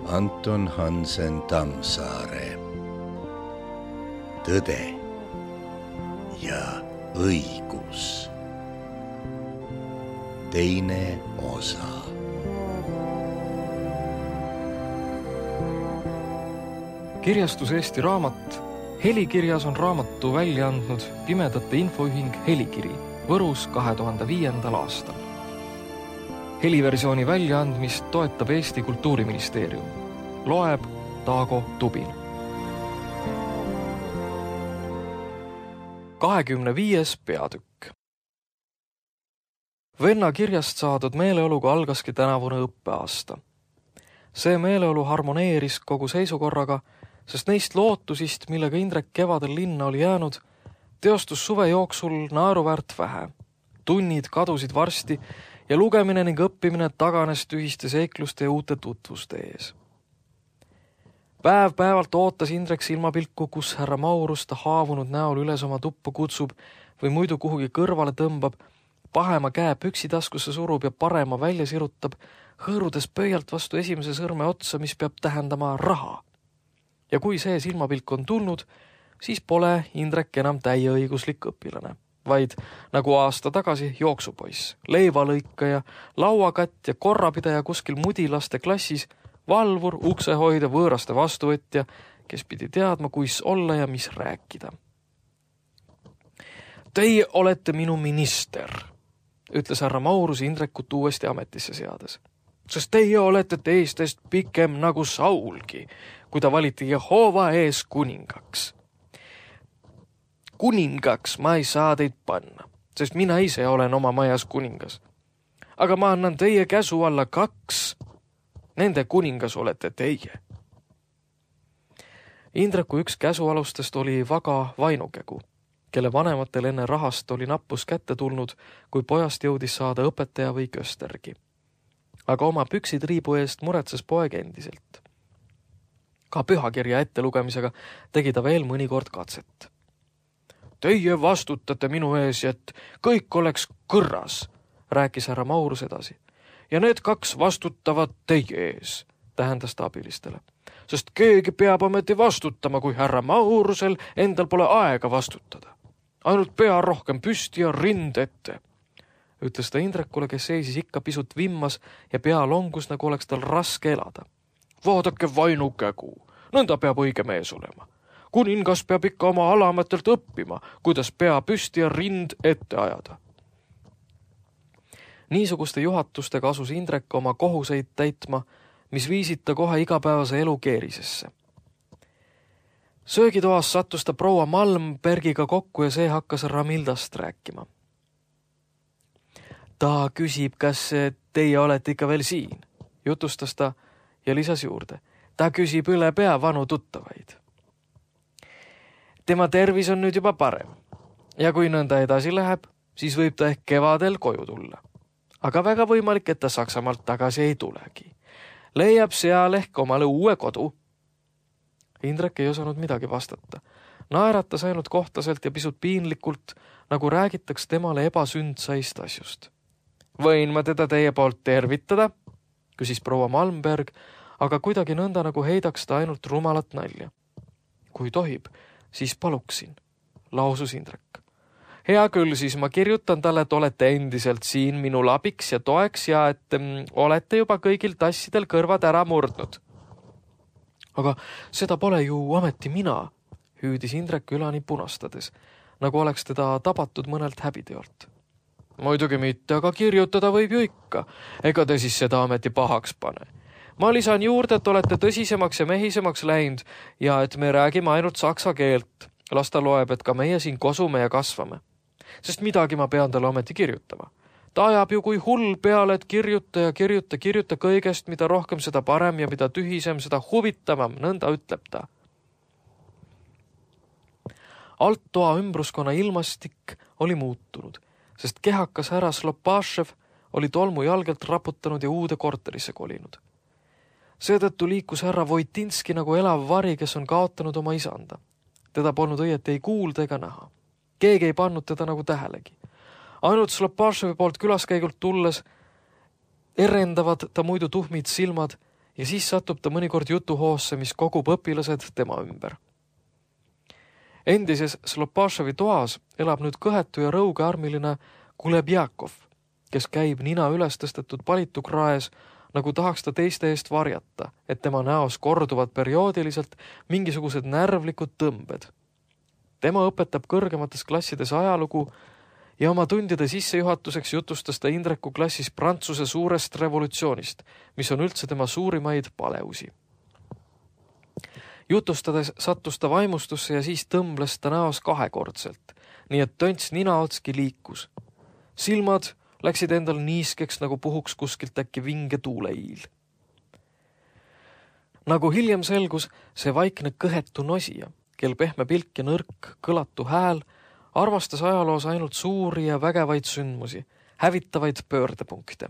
Anton Hansen Tammsaare. Tõde ja õigus. Teine osa. Kirjastus Eesti Raamat. Helikirjas on raamatu välja andnud Pimedate Infoühing Helikiri Võrus 2005. aastal. Heliversiooni väljaandmist toetab Eesti Kultuuriministeerium. Loeb Taago Tubin. 25. peatükk. Venna kirjast saadud meeleoluga algaski tänavune õppeaasta. See meeleolu harmoneeris kogu seisukorraga, sest neist lootusist, millega Indrek kevadel linna oli jäänud, teostus suve jooksul naeruväärt vähe. Tunnid kadusid varsti ja lugemine ning õppimine taganes tühiste seikluste ja uute tutvuste ees. Päev-päevalt ootas Indrek silmapilku, kus härra Maurus ta haavunud näol üles oma tuppa kutsub või muidu kuhugi kõrvale tõmbab, pahema käe püksitaskusse surub ja parema välja sirutab, hõõrudes pöialt vastu esimese sõrme otsa, mis peab tähendama raha. Ja kui see silmapilk on tulnud, siis pole Indrek enam täieõiguslik õpilane, vaid nagu aasta tagasi jooksupoiss, leivalõikaja, lauakatt ja korrapidaja kuskil mudilaste klassis, valvur, uksehoidja, võõraste vastuvõtja, kes pidi teadma, kuis olla ja mis rääkida. Teie olete minu minister, ütles härra Maurus Indrekut uuesti ametisse seades. Sest teie olete teistest pikem nagu Saulgi, kui ta valiti Jehova ees kuningaks. Kuningaks ma ei saa teid panna, sest mina ise olen oma majas kuningas. Aga ma annan teie käsu alla 2. Nende kuningas olete teie. Indreku üks käsualustest oli Vaga Vainukegu, kelle vanematel enne rahast oli nappus kätte tulnud, kui pojast jõudis saada õpetaja või köstergi. Aga oma püksid riibu eest muretses poeg endiselt. Ka pühakirja ettelugemisega tegi ta veel mõnikord katset. Teie vastutate minu ees, et kõik oleks kõrras, rääkis härra Maurus edasi. Ja need 2 vastutavad teie ees, tähendas ta abilistele. Sest keegi peab ometi vastutama, kui härra Maurusel endal pole aega vastutada. Ainult pea rohkem püsti ja rind ette, ütles ta Indrekule, kes seisis ikka pisut vimmas ja pea longus, nagu oleks tal raske elada. Vaadake Vainukägu, nõnda peab õige mees olema. Kuningas peab ikka oma alamatelt õppima, kuidas pea püsti ja rind ette ajada. Niisuguste juhatustega asus Indrek oma kohuseid täitma, mis viisid ta kohe igapäevase elu keerisesse. Söögitoas sattus ta proua Malmbergiga kokku ja see hakkas Ramildast rääkima. Ta küsib, kas teie olete ikka veel siin, jutustas ta ja lisas juurde. Ta küsib üle pea vanu tuttavaid. Tema tervis on nüüd juba parem ja kui nõnda edasi läheb, siis võib ta ehk kevadel koju tulla. Aga väga võimalik, et ta Saksamaalt tagasi ei tulegi. Leiab seal ehk omale uue kodu. Indrek ei osanud midagi vastata. Naeratas ainult kohtaselt ja pisut piinlikult, nagu räägitaks temale ebasündsaist asjust. Võin ma teda teie poolt tervitada? Küsis proua Malmberg, aga kuidagi nõnda nagu heidaks ta ainult rumalat nalja. Kui tohib, siis paluksin, lausus Indrek. Hea küll, siis ma kirjutan talle, et olete endiselt siin minul abiks ja toeks ja et olete juba kõigil tassidel kõrvad ära murdnud. Aga seda pole ju ameti mina, hüüdis Indrek ülani punastades, nagu oleks teda tabatud mõnelt häbiteolt. Muidugi mitte, aga kirjutada võib ju ikka. Ega te siis seda ameti pahaks pane. Ma lisan juurde, et olete tõsisemaks ja mehisemaks läinud ja et me räägime ainult saksa keelt. Las ta loeb, et ka meie siin kosume ja kasvame. Sest midagi ma pean talle ometi kirjutama. Ta ajab ju kui hull peale, et kirjuta kõigest, mida rohkem, seda parem ja mida tühisem, seda huvitavam, nõnda ütleb ta. Alttoa ümbruskonna ilmastik oli muutunud, sest kehakas härra Slopašev oli tolmu jalgelt raputanud ja uude korterisse kolinud. Seetõttu liikus härra Vojtinski nagu elav vari, kes on kaotanud oma isanda. Teda polnud õieti ei kuulda ega näha. Keegi ei pannud teda nagu tähelegi. Ainult Slopaševi poolt külaskäigult tulles erendavad ta muidu tuhmid silmad ja siis satub ta mõnikord jutuhoosse, mis kogub õpilased tema ümber. Endises Slopaševi toas elab nüüd kõhetu ja rõugearmiline Kulebjakov, kes käib nina üles tõstetud palitukraes, nagu tahaks ta teiste eest varjata, et tema näos korduvad perioodiliselt mingisugused närvlikud tõmbed. Tema õpetab kõrgemates klassides ajalugu ja oma tundide sissejuhatuseks jutustas ta Indreku klassis Prantsuse suurest revolutsioonist, mis on üldse tema suurimaid paleusi. Jutustades sattus ta vaimustusse ja siis tõmbles ta näos kahekordselt, nii et tönts ninaotski liikus. Silmad läksid endal niiskeks, nagu puhuks kuskilt äkki vinge tuuleiil. Nagu hiljem selgus, see vaikne kõhetu nosija, kel pehme pilk ja nõrk kõlatu hääl, armastas ajaloos ainult suuri ja vägevaid sündmusi, hävitavaid pöördepunkte.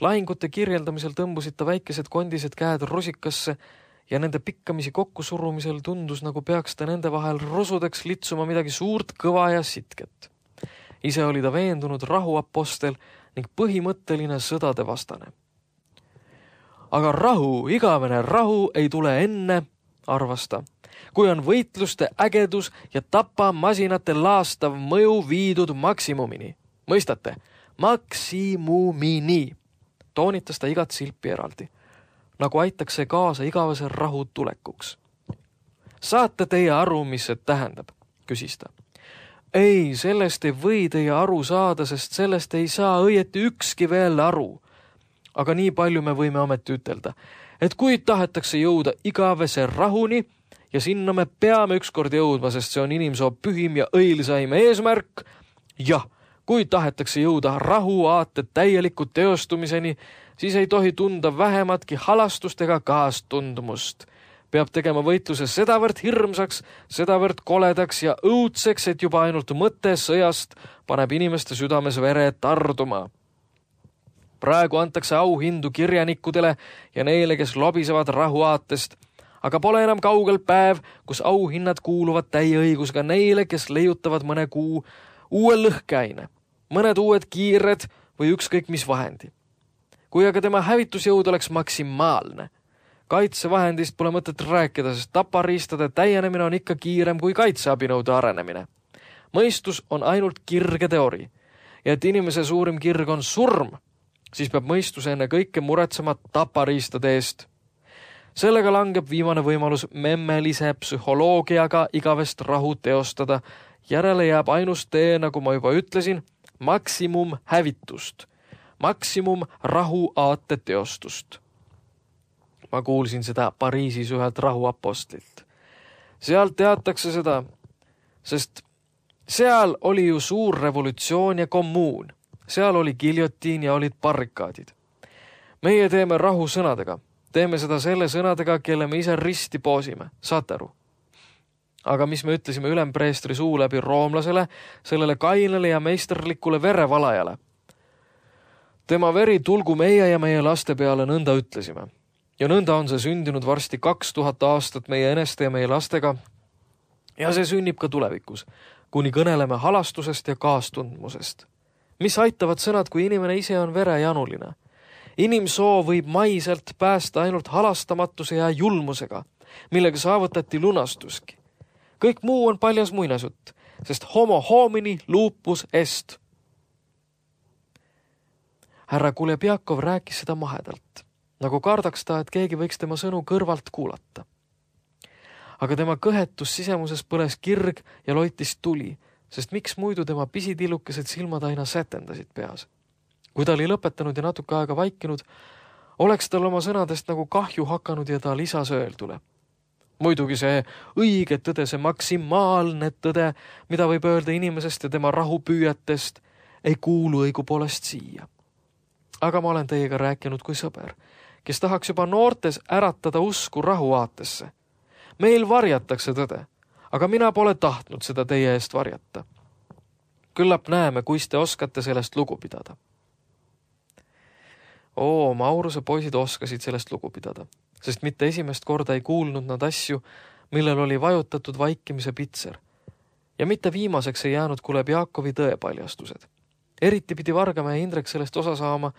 Lahingute kirjeldamisel tõmbusid ta väikesed kondised käed rusikasse ja nende pikkamisi kokkusurumisel tundus, nagu peaks ta nende vahel rusudeks litsuma midagi suurt, kõva ja sitket. Ise oli ta veendunud rahuapostel ning põhimõtteline sõdade vastane. Aga rahu, igavene rahu ei tule enne, arvas ta, kui on võitluste ägedus ja tapamasinate laastav mõju viidud maksimumini. Mõistate? Maksimumini. Toonitas ta igat silpi eraldi, nagu aitaks see kaasa igavese rahu tulekuks. Saate teie aru, mis see tähendab? Küsis ta. Ei, sellest ei või teie aru saada, sest sellest ei saa õieti ükski veel aru. Aga nii palju me võime ometi ütelda, et kui tahetakse jõuda igavese rahuni ja sinna me peame ükskord jõudma, sest see on inimsoo pühim ja õilsaim eesmärk, jah, kui tahetakse jõuda rahuaate täieliku teostumiseni, siis ei tohi tunda vähematki halastust ega kaastundmust. Peab tegema võitluse sedavõrd hirmsaks, sedavõrd koledaks ja õudseks, et juba ainult mõte sõjast paneb inimeste südames vere tarduma. Praegu antakse auhindu kirjanikkudele ja neile, kes lobisevad rahuaatest, aga pole enam kaugel päev, kus auhinnad kuuluvad täie õigusega neile, kes leiutavad mõne kuu uue lõhkeaine, mõned uued kiired või ükskõik mis vahendi. Kui aga tema hävitusjõud oleks maksimaalne, kaitsevahendist pole mõtet rääkida, sest tapariistade täienemine on ikka kiirem kui kaitseabinõude arenemine. Mõistus on ainult kirge teori ja et inimese suurim kirg on surm, siis peab mõistus enne kõike muretsema tapariistade eest. Sellega langeb viimane võimalus memmelise psühholoogiaga igavest rahu teostada. Järele jääb ainus tee, nagu ma juba ütlesin, maksimum hävitust, maksimum rahuaate teostust. Ma kuulsin seda Pariisis ühelt rahuapostlilt. Seal teatakse seda, sest seal oli ju suur revolutsioon ja kommuun. Seal oli giljotiin ja olid barrikaadid. Meie teeme rahu sõnadega. Teeme seda selle sõnadega, kelle me ise risti poosime. Saate aru? Aga mis me ütlesime ülempreestri suu läbi roomlasele, sellele kainele ja meisterlikule verevalajale? Tema veri tulgu meie ja meie laste peale, nõnda ütlesime. Ja nõnda on see sündinud varsti 2000 aastat meie eneste ja meie lastega. Ja see sünnib ka tulevikus, kuni kõneleme halastusest ja kaastundmusest. Mis aitavad sõnad, kui inimene ise on verejanuline? Inimsoo võib maiselt päästa ainult halastamatuse ja julmusega, millega saavutati lunastuski. Kõik muu on paljas muinasjutt, sest homo homini lupus est. Härra Kulebjakov rääkis seda mahedalt, nagu kardaks ta, et keegi võiks tema sõnu kõrvalt kuulata. Aga tema kõhetus sisemuses põles kirg ja loitis tuli, sest miks muidu tema pisitillukesed silmad aina sätendasid peas. Kui ta oli lõpetanud ja natuke aega vaikinud, oleks tal oma sõnadest nagu kahju hakanud ja ta lisas öeldule. Muidugi see õige tõde, see maksimaalne tõde, mida võib öelda inimesest ja tema rahupüüjatest, ei kuulu õigupoolest siia. Aga ma olen teiega rääkinud kui sõber, kes tahaks juba noortes äratada usku rahuaatesse. Meil varjatakse tõde, aga mina pole tahtnud seda teie eest varjata. Küllap näeme, kuis te oskate sellest lugu pidada. Mauruse poisid oskasid sellest lugu pidada, sest mitte esimest korda ei kuulnud nad asju, millel oli vajutatud vaikimise pitser. Ja mitte viimaseks ei jäänud Kulebjakovi tõepaljastused. Eriti pidi Vargamäe Indrek sellest osa saama,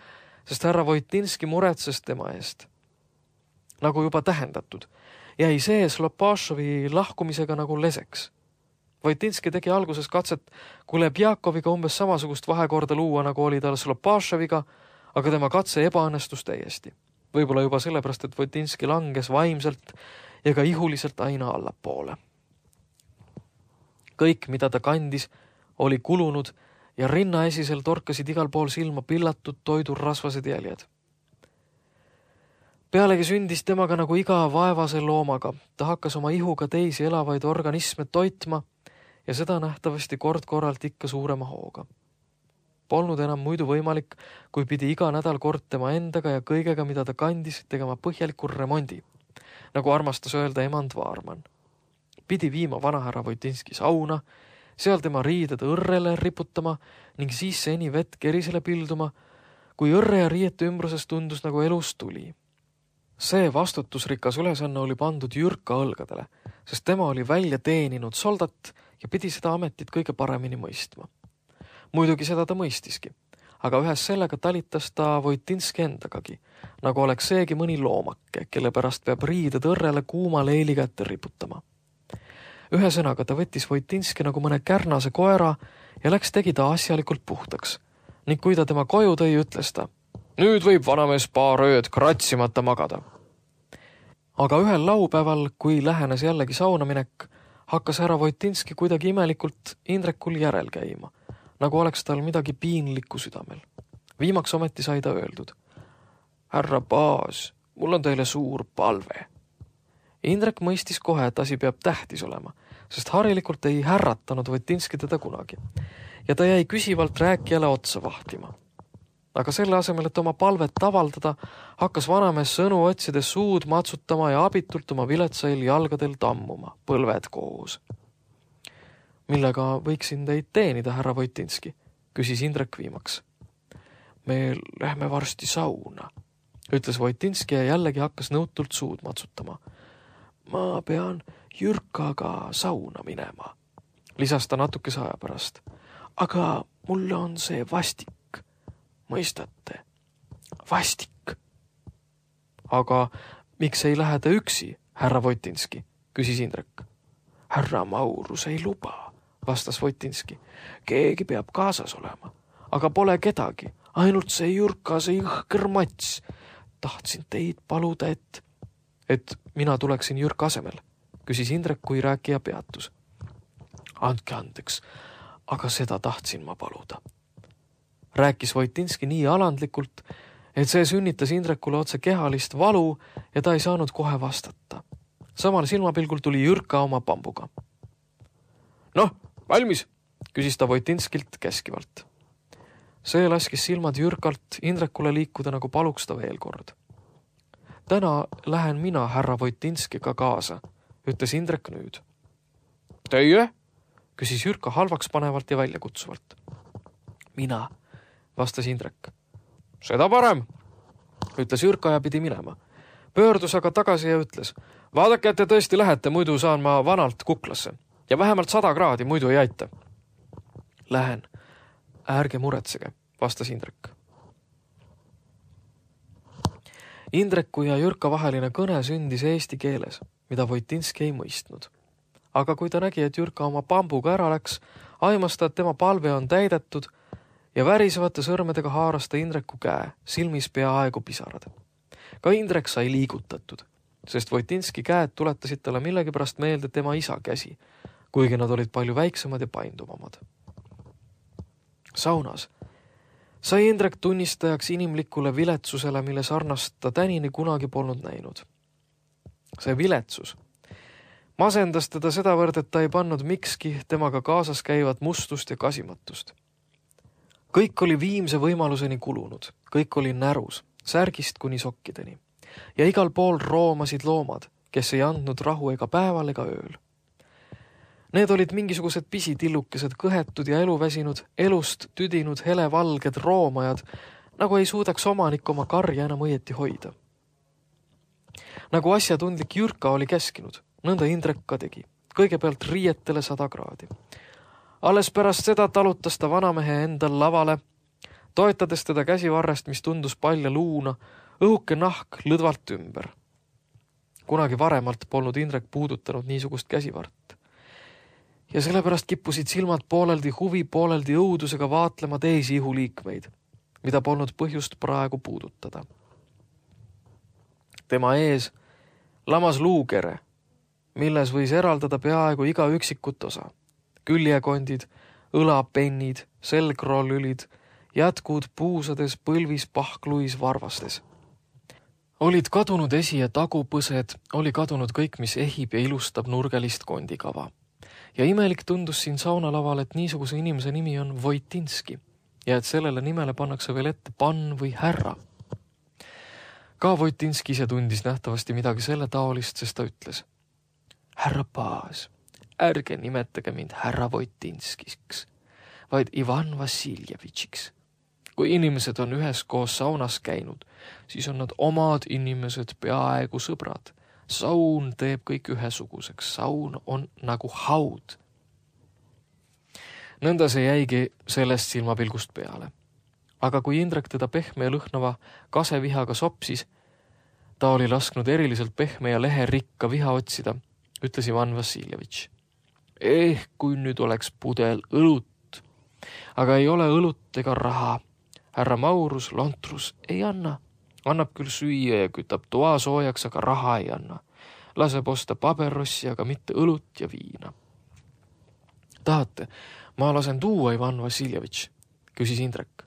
sest härra Vojtinski muretses tema eest. nagu juba tähendatud, jäi see Slopašovi lahkumisega nagu leseks. Voitinski tegi alguses katset Kulebjakoviga umbes samasugust vahekorda luua, nagu oli tal Slopašoviga, aga tema katse ebaõnnestus täiesti. Võib-olla juba sellepärast, et Voitinski langes vaimselt ja ka ihuliselt aina allapoole. Kõik, mida ta kandis, oli kulunud ja rinnaesisel torkasid igal pool silma pillatud toidurasvased jäljed. Pealegi sündis temaga nagu iga vaevase loomaga. Ta hakkas oma ihuga teisi elavaid organisme toitma ja seda nähtavasti kord-korralt ikka suurema hooga. Polnud enam muidu võimalik, kui pidi iga nädal kord tema endaga ja kõigega, mida ta kandis, tegema põhjaliku remondi, nagu armastas öelda emand Vaarman. Pidi viima vanahärra Voitinski sauna, seal tema riided õrrele riputama ning siis seni vett kerisele pilduma, kui õrre ja riiete ümbruses tundus nagu elus tuli. See vastutusrikas ülesanne oli pandud Jürka õlgadele, sest tema oli välja teeninud soldat ja pidi seda ametit kõige paremini mõistma. Muidugi seda ta mõistiski, aga ühes sellega talitas ta Voitinski endagagi, nagu oleks seegi mõni loomake, kelle pärast peab riided õrrele kuuma leili kätte riputama. Ühesõnaga ta võttis Voitinski nagu mõne kärnase koera ja läks tegi ta asjalikult puhtaks. Ning kui ta tema koju tõi, ütles ta: "Nüüd võib vanamees paar ööd kratsimata magada." Aga ühel laupäeval, kui lähenes jällegi saunaminek, hakkas härra Voitinski kuidagi imelikult Indrekul järel käima, nagu oleks tal midagi piinlikku südamel. Viimaks ometi sai ta öeldud: "Härra Baas, mul on teile suur palve." Indrek mõistis kohe, et asi peab tähtis olema, sest harilikult ei härratanud Voitinski teda kunagi ja ta jäi küsivalt rääkijale otsa vahtima. Aga selle asemel, et oma palvet avaldada, hakkas vanamees sõnu otsides suud matsutama ja abitult oma viletsail jalgadel tammuma, põlved koos. "Millega võiksin teid teenida, härra Voitinski?" küsis Indrek viimaks. "Me lähme varsti sauna," ütles Voitinski ja jällegi hakkas nõutult suud matsutama. "Ma pean Jürkaga sauna minema," lisas ta natukese aja pärast. "Aga mulle on see vastik. Mõistate? Vastik." "Aga miks ei lähe te üksi, härra Voitinski?" küsis Indrek. "Härra Maurus ei luba," vastas Voitinski. "Keegi peab kaasas olema, aga pole kedagi, ainult see Jürka, see õhker mats. Tahtsin teid paluda, et mina tuleksin Jürka asemel," küsis Indrek, kui rääkija peatus. "Andke andeks, aga seda tahtsin ma paluda," rääkis Voitinski nii alandlikult, et see sünnitas Indrekule otse kehalist valu ja ta ei saanud kohe vastata. Samal silmapilgul tuli Jürka oma pambuga. "Noh, valmis?" küsis ta Voitinskilt käskivalt. See laskis silmad Jürkalt Indrekule liikuda, nagu paluks ta veel kord. "Täna lähen mina härra Voitinskiga kaasa," ütles Indrek nüüd. "Teie?" küsis Jürka halvaks panevalt ja väljakutsuvalt. "Mina," vastas Indrek. "Seda parem," ütles Jürka ja pidi minema. Pöördus aga tagasi ja ütles: "Vaadake, et te tõesti lähete, muidu saan ma vanalt kuklasse. Ja vähemalt 100 kraadi, muidu ei aita." "Lähen, ärge muretsege," vastas Indrek. Indreku ja Jürka vaheline kõne sündis eesti keeles, mida Voitinski ei mõistnud. Aga kui ta nägi, et Jürka oma pambuga ära läks, aimas ta, et tema palve on täidetud ja värisevate sõrmedega haaras ta Indreku käe, silmis peaaegu pisarad. Ka Indrek sai liigutatud, sest Voitinski käed tuletasid talle millegipärast meelde tema isa käsi, kuigi nad olid palju väiksemad ja painduvamad. Saunas sai Indrek tunnistajaks inimlikule viletsusele, mille sarnast ta tänini kunagi polnud näinud. See viletsus masendas teda sedavõrd, et ta ei pannud mikski temaga kaasas käivat mustust ja kasimatust. Kõik oli viimse võimaluseni kulunud, kõik oli närus, särgist kuni sokkideni. Ja igal pool roomasid loomad, kes ei andnud rahu ega päeval ega ööl. Need olid mingisugused pisitillukesed, kõhetud ja eluväsinud, elust tüdinud helevalged roomajad, nagu ei suudaks omanik oma karja enam õieti hoida. Nagu asjatundlik Jürka oli käskinud, nõnda Indrek ka tegi, kõigepealt riietele 100 kraadi. Alles pärast seda talutas ta vanamehe endal lavale, toetades teda käsivarrest, mis tundus palja luuna, õhuke nahk lõdvalt ümber. kunagi varemalt polnud Indrek puudutanud niisugust käsivart. Ja sellepärast kippusid silmad pooleldi huvi, pooleldi õudusega vaatlema teisi ihuliikmeid, mida polnud põhjust praegu puudutada. Tema ees lamas luukere, milles võis eraldada peaaegu iga üksikut osa. Küljekondid, õlapennid, selgroolülid, jätkud puusades, põlvis, pahkluis, varvastes. Olid kadunud esi- ja tagupõsed, oli kadunud kõik, mis ehib ja ilustab nurgelist kondikava. Ja imelik tundus siin saunalaval, et niisuguse inimese nimi on Voitinski ja et sellele nimele pannakse veel ette pann või härra. Ka Voitinski ise tundis nähtavasti midagi selle taolist, sest ta ütles: härra Paas, ärge nimetage mind härra Voitinskiks, vaid Ivan Vassiljevitšiks. Kui inimesed on üheskoos saunas käinud, siis on nad omad inimesed, peaaegu sõbrad. Saun teeb kõik ühesuguseks. Saun on nagu haud. Nõnda see jäigi sellest silmapilgust peale. Aga kui Indrek teda pehme ja lõhnava kasevihaga sopsis, ta oli lasknud eriliselt pehme ja leherikka viha otsida, ütles Ivan Vassiljevitš. Kui nüüd oleks pudel õlut, aga ei ole õlut ega raha. Härra Maurus Lontrus ei anna. Annab küll süüa ja kütab toa soojaks, aga raha ei anna. Laseb osta paberossi, aga mitte õlut ja viina. Tahate, ma lasen tuua, Ivan Vassiljevitš, küsis Indrek.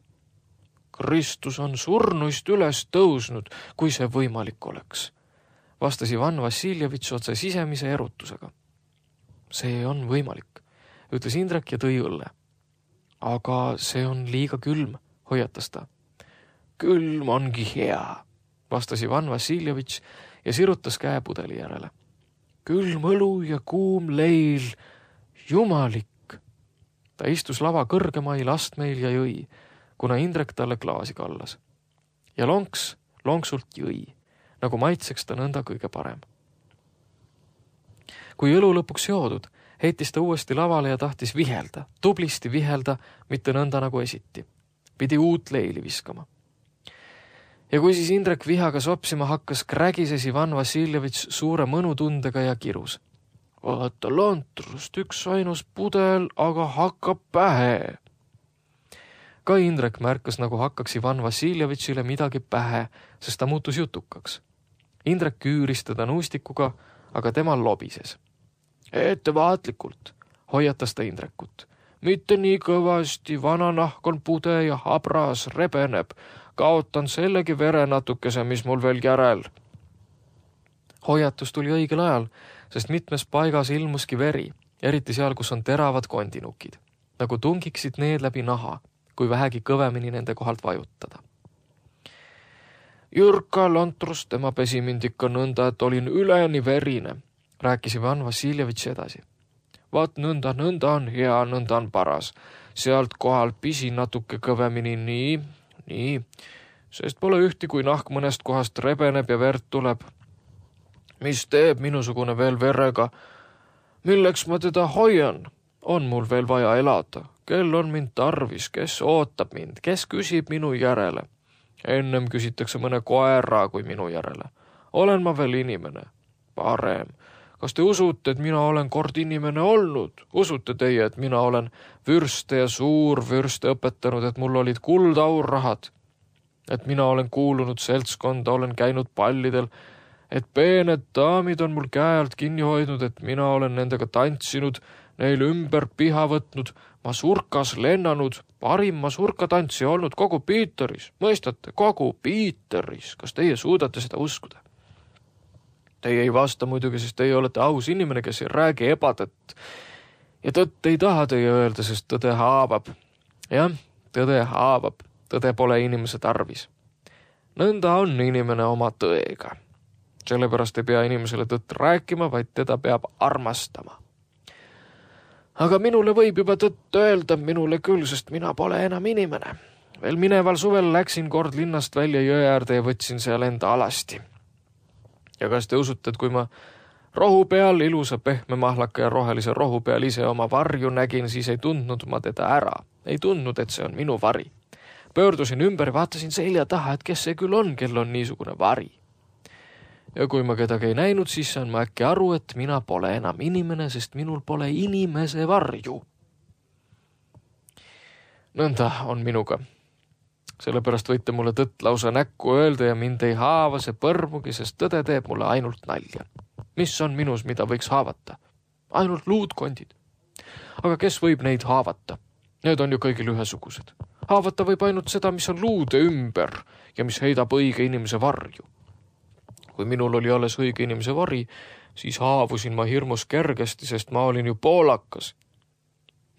Kristus on surnuist üles tõusnud, kui see võimalik oleks, vastas Ivan Vassiljevitš otse sisemise erutusega. See on võimalik, ütles Indrek ja tõi õlle. Aga see on liiga külm, hoiatas ta. Külm ongi hea, vastas Ivan Vassiljevitš ja sirutas käe pudeli järele. Külm õlu ja kuum leil, jumalik. Ta istus lava kõrgemail astmeil ja jõi, kuna Indrek talle klaasi kallas. Ja lonksult jõi, nagu maitseks ta nõnda kõige parem. Kui õlu lõpuks joodud, heitis ta uuesti lavale ja tahtis vihelda, tublisti vihelda, mitte nõnda nagu esiti. Pidi uut leili viskama. Ja kui siis Indrek vihaga sopsima hakkas, krägises Ivan Vassiljevitš suure mõnutundega ja kirus. Vaata Lontrust, üks ainus pudel, aga hakkab pähe. Ka Indrek märkas, nagu hakkaks Ivan Vassiljevitšile midagi pähe, sest ta muutus jutukaks. Indrek küüris teda nuustikuga, aga tema lobises. Ettevaatlikult, hoiatas ta Indrekut. Mitte nii kõvasti, vana nahk on pude ja habras, rebeneb. Kaotan sellegi vere natukese, mis mul veel järel. Hoiatus tuli õigel ajal, sest mitmes paigas ilmuski veri, eriti seal, kus on teravad kondinukid, nagu tungiksid need läbi naha, kui vähegi kõvemini nende kohalt vajutada. Jürka Lontrus, tema pesi mind ikka nõnda, et olin üleni verine, rääkis Ivan Vassiljevitš edasi. Vaat nõnda on hea, nõnda on paras. Sealt kohal pisi natuke kõvemini, nii, sest pole ühti, kui nahk mõnest kohast rebeneb ja verd tuleb. Mis teeb minusugune veel verega? Milleks ma teda hoian? On mul veel vaja elada? Kel on mind tarvis? Kes ootab mind? Kes küsib minu järele? Ennem küsitakse mõne koera kui minu järele. Olen ma veel inimene? Parem. Kas te usute, et mina olen kord inimene olnud? Usute teie, et mina olen vürste ja suurvürste õpetanud, et mul olid kuldaurrahad? Et mina olen kuulunud seltskonda, olen käinud pallidel, et peened daamid on mul käe alt kinni hoidnud, et mina olen nendega tantsinud, neil ümber piha võtnud, masurkas lennanud, parim masurkatantsija olnud kogu Piiteris. Mõistate, kogu Piiteris. Kas teie suudate seda uskuda? Teie ei vasta muidugi, sest teie olete aus inimene, kes ei räägi ebatõtt. Ja tõtt ei taha teie öelda, sest tõde haavab. Jah, tõde haavab. Tõde pole inimese tarvis. Nõnda on inimene oma tõega. Sellepärast ei pea inimesele tõtt rääkima, vaid teda peab armastama. Aga minule võib juba tõtt öelda, minule küll, sest mina pole enam inimene. Veel mineval suvel läksin kord linnast välja jõe äärde ja võtsin seal enda alasti. Ja kas te usute, et kui ma rohu peal, ilusa pehme mahlaka ja rohelise rohu peal ise oma varju nägin, siis ei tundnud ma teda ära. Ei tundnud, et see on minu vari. Pöördusin ümber ja vaatasin selja taha, et kes see küll on, kel on niisugune vari. Ja kui ma kedagi ei näinud, siis saan ma äkki aru, et mina pole enam inimene, sest minul pole inimese varju. Nõnda on minuga. Sellepärast võite mulle tõtt lausa näkku öelda ja mind ei haava see põrmugi, sest tõde teeb mulle ainult nalja. Mis on minus, mida võiks haavata? Ainult luudkondid. Aga kes võib neid haavata? Need on ju kõigil ühesugused. Haavata võib ainult seda, mis on luude ümber ja mis heidab õige inimese varju. Kui minul oli alles õige inimese vari, siis haavusin ma hirmus kergesti, sest ma olin ju poolakas.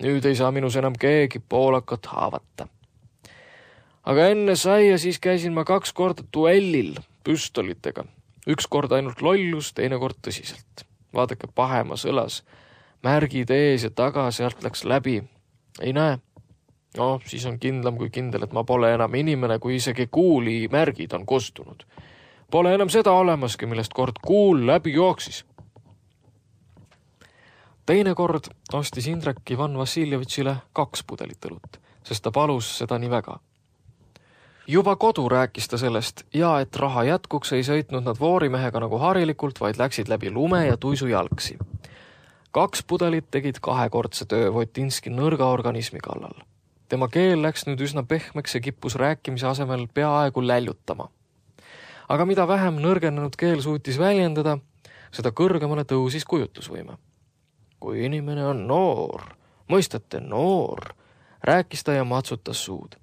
Nüüd ei saa minus enam keegi poolakat haavata. Aga enne sai ja siis käisin ma 2 korda duellil püstolitega. 1 kord ainult lollus, 2 kord tõsiselt. Vaadake pahemas õlas, märgid ees ja taga, sealt läks läbi. Ei näe. No, siis on kindlam kui kindel, et ma pole enam inimene, kui isegi kuuli märgid on kostunud. Pole enam seda olemaski, millest kord kuul läbi jooksis. Teine kord ostis Indrek Ivan Vassiljevitšile 2 pudelit õlut, sest ta palus seda nii väga. Juba kodu rääkis ta sellest ja et raha jätkuks ei sõitnud nad voorimehega nagu harilikult, vaid läksid läbi lume ja tuisu jalgsi. 2 pudelit tegid 2-kordse töö Votinski nõrga organismi kallal. Tema keel läks nüüd üsna pehmeks ja kippus rääkimise asemel peaaegu läljutama. Aga mida vähem nõrgenenud keel suutis väljendada, seda kõrgemale tõusis kujutlusvõime. Kui inimene on noor, mõistate noor, rääkis ta ja matsutas suud.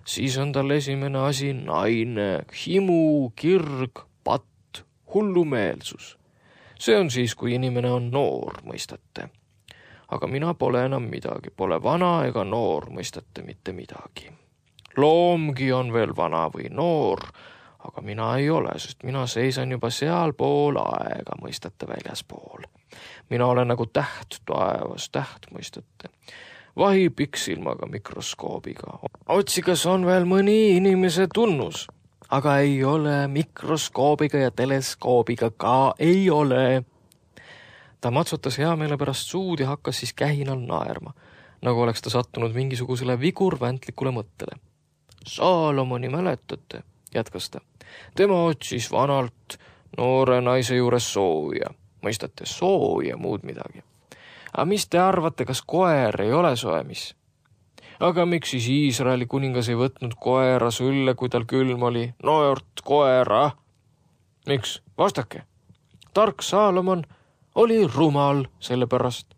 Siis on tal esimene asi naine, himu, kirg, patt, hullumeelsus. See on siis, kui inimene on noor, mõistate. Aga mina pole enam midagi, pole vana ega noor, mõistate mitte midagi. Loomgi on veel vana või noor, aga mina ei ole, sest mina seisan juba sealpool aega, mõistate väljaspool. Mina olen nagu täht taevas, täht, mõistate. Vahi piksilmaga mikroskoobiga. Otsi, kas on veel mõni inimese tunnus, aga ei ole mikroskoobiga ja teleskoobiga ka ei ole. Ta matsutas hea meele pärast suud ja hakkas siis kähinal naerma, nagu oleks ta sattunud mingisugusele vigurväntlikule mõttele. Saalomoni mäletate, jätkas ta. Tema otsis vanalt noore naise juures sooja. Mõistate, sooja muud midagi. Aga mis te arvate, kas koer ei ole soe, mis? Aga miks siis Iisraeli kuningas ei võtnud koera sülle, kui tal külm oli? Noort koera. Miks? Vastake. Tark Saalomon oli rumal selle pärast.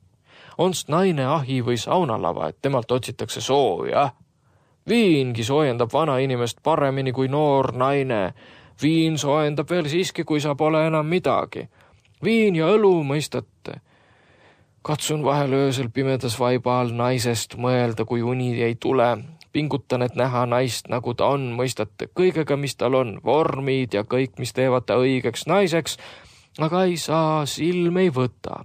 Onst naine ahi või saunalava, et temalt otsitakse sooja. Viingi soojendab vana inimest paremini kui noor naine. Viin soojendab veel siiski, kui sa pole enam midagi. Viin ja õlu, mõistate. Katsun vahel öösel pimedas vaiba all naisest mõelda, kui uni ei tule. Pingutan, et näha naist, nagu ta on, mõistate, kõigega, mis tal on, vormid ja kõik, mis teevad ta õigeks naiseks, aga ei saa, silm ei võta.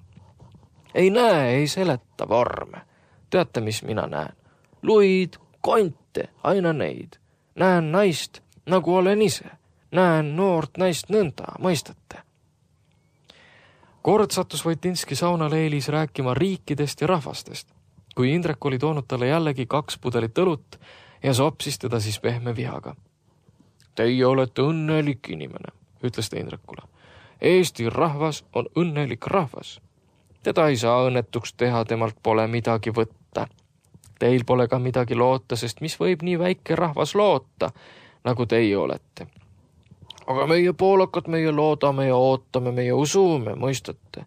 Ei näe, ei seleta vorme. Teate, mis mina näen? Luid, konte, aina neid. Näen naist, nagu olen ise. Näen noort naist nõnda, mõistate. Kord sattus Votinski saunaleelis rääkima riikidest ja rahvastest, kui Indrek oli toonud talle jällegi 2 pudelit õlut ja sopsis teda siis pehme vihaga. Teie olete õnnelik inimene, ütles ta Indrekule. Eesti rahvas on õnnelik rahvas. Teda ei saa õnnetuks teha, temalt pole midagi võtta. Teil pole ka midagi loota, sest mis võib nii väike rahvas loota, nagu teie olete. Aga meie poolakad, meie loodame ja ootame, meie usume, mõistate.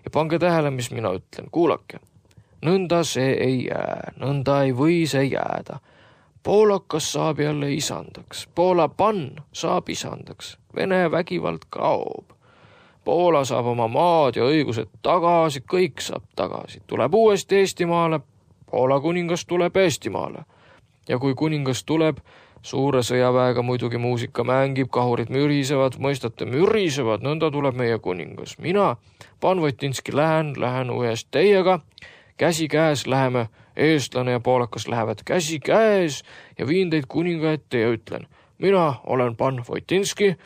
Ja pange tähele, mis mina ütlen, kuulake. Nõnda see ei jää, nõnda ei või see jääda. Poolakas saab jälle isandaks, Poola pann saab isandaks, Vene vägivald kaob. Poola saab oma maad ja õigused tagasi, kõik saab tagasi. Tuleb uuesti Eestimaale, Poola kuningas tuleb Eestimaale. Ja kui kuningas tuleb, suure sõjaväega muidugi muusika mängib, kahurid mürisevad, mõistate, mürisevad, nõnda tuleb meie kuningas. Mina, pan Votinski, lähen uuest teiega, käsi käes läheme, eestlane ja poolakas lähevad käsi käes ja viin teid kuninga ette ja ütlen, mina olen pan Votinski,